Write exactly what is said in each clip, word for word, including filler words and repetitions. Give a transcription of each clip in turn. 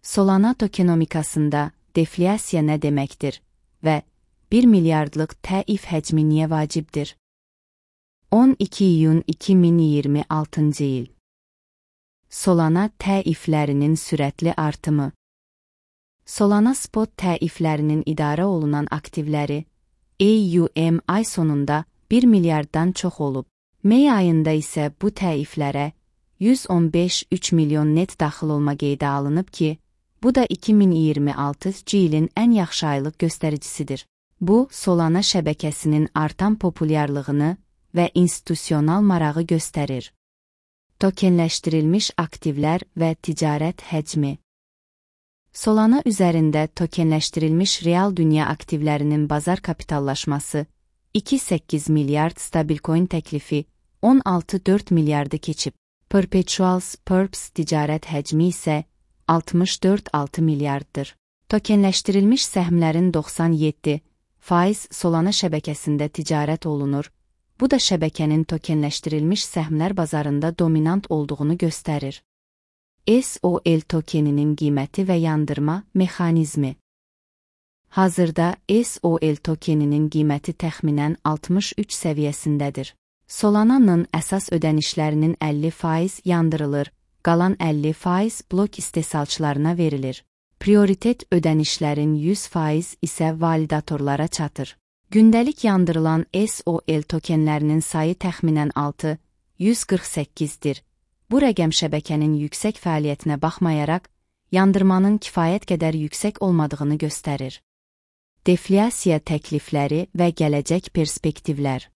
Solana tokenomikasında deflyasiya nə deməkdir və bir milyardlıq təif həcmi niyə vacibdir? on iki iyun iki min iyirmi altıncı il. Solana təiflərinin sürətli artımı. Solana spot təiflərinin idarə olunan aktivləri A U M ay sonunda bir milyarddan çox olub. May ayında isə bu təiflərə yüz on beş nöqtə üç milyon net daxil olma qeydə alınıb ki, bu da iki min iyirmi altıncı ilin ən yaxşı aylıq göstəricisidir. Bu, Solana şəbəkəsinin artan populyarlığını və institusional marağı göstərir. Tokenləşdirilmiş aktivlər və ticarət həcmi. Solana üzərində tokenləşdirilmiş real dünya aktivlərinin bazar kapitallaşması iki nöqtə səkkiz milyard, stabilcoin təklifi on altı nöqtə dörd miljardı keçib. Perpetuals Perps ticarət həcmi isə altmış dörd nöqtə altı milyarddır. Tokenləşdirilmiş səhmlərin doxsan yeddi faiz Solana şəbəkəsində ticarət olunur. Bu da şəbəkənin tokenləşdirilmiş səhmlər bazarında dominant olduğunu göstərir. S O L tokeninin qiyməti və yandırma mexanizmi. Hazırda S O L tokeninin qiyməti təxminən altmış üç səviyyəsindədir. Solana'nın əsas ödənişlərinin əlli faiz yandırılır, qalan əlli faiz blok istehsalçılarına verilir. Prioritet ödənişlərin yüz faiz isə validatorlara çatır. Gündəlik yandırılan S O L tokenlərinin sayı təxminən altı min yüz qırx səkkizdir. Bu rəqəm şəbəkənin yüksək fəaliyyətinə baxmayaraq, yandırmanın kifayət qədər yüksək olmadığını göstərir. Deflyasiya təklifləri və gələcək perspektivlər.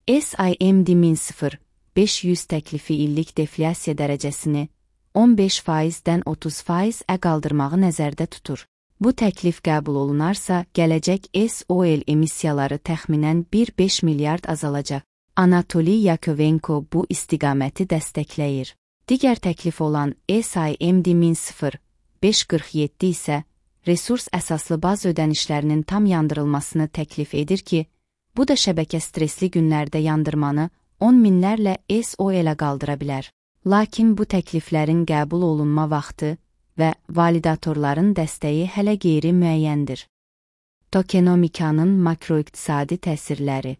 S I M D min sıfır nöqtə beş yüz təklifi illik deflyasiya dərəcəsini on beş faizdən otuz faizə qaldırmağı nəzərdə tutur. Bu təklif qəbul olunarsa, gələcək S O L emissiyaları təxminən bir nöqtə beş milyard azalacaq. Anatoli Yakovenko bu istiqaməti dəstəkləyir. Digər təklif olan S I M D min sıfır nöqtə beş qırx yeddi isə resurs əsaslı baz ödənişlərinin tam yandırılmasını təklif edir ki, bu da şəbəkə stresli günlərdə yandırmanı on minlərlə S O L-ə qaldıra bilər. Lakin bu təkliflərin qəbul olunma vaxtı və validatorların dəstəyi hələ qeyri-müəyyəndir. Tokenomikanın makroiqtisadi təsirləri.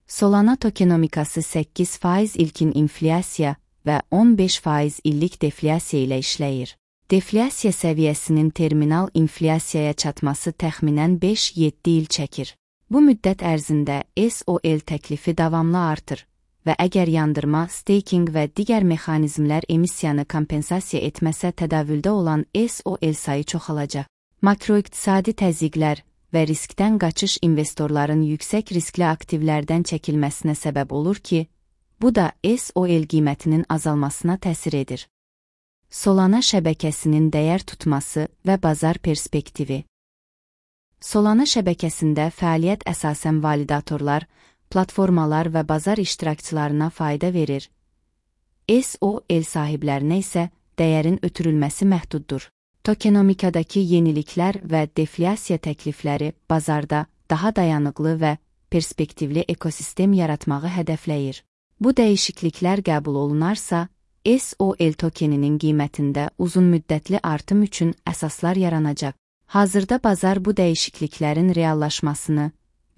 Solana tokenomikası səkkiz faiz ilkin inflyasiya və on beş faiz illik deflyasiya ilə işləyir. Deflyasiya səviyyəsinin terminal inflyasiyaya çatması təxminən beş yeddi il çəkir. Bu müddət ərzində S O L təklifi davamlı artır və əgər yandırma, staking və digər mexanizmlər emissiyanı kompensasiya etməsə tədavüldə olan S O L sayı çoxalacaq. Makroiqtisadi təzyiqlər və riskdən qaçış investorların yüksək riskli aktivlərdən çəkilməsinə səbəb olur ki, bu da S O L qiymətinin azalmasına təsir edir. Solana şəbəkəsinin dəyər tutması və bazar perspektivi. Solana şəbəkəsində fəaliyyət əsasən validatorlar, platformalar və bazar iştirakçılarına fayda verir. S O L sahiblərinə isə dəyərin ötürülməsi məhduddur. Tokenomikadakı yeniliklər və deflyasiya təklifləri bazarda daha dayanıqlı və perspektivli ekosistem yaratmağı hədəfləyir. Bu dəyişikliklər qəbul olunarsa, S O L tokeninin qiymətində uzun müddətli artım üçün əsaslar yaranacaq. Hazırda bazar bu dəyişikliklərin reallaşmasını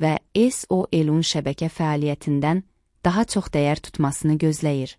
və S O L-un şəbəkə fəaliyyətindən daha çox dəyər tutmasını gözləyir.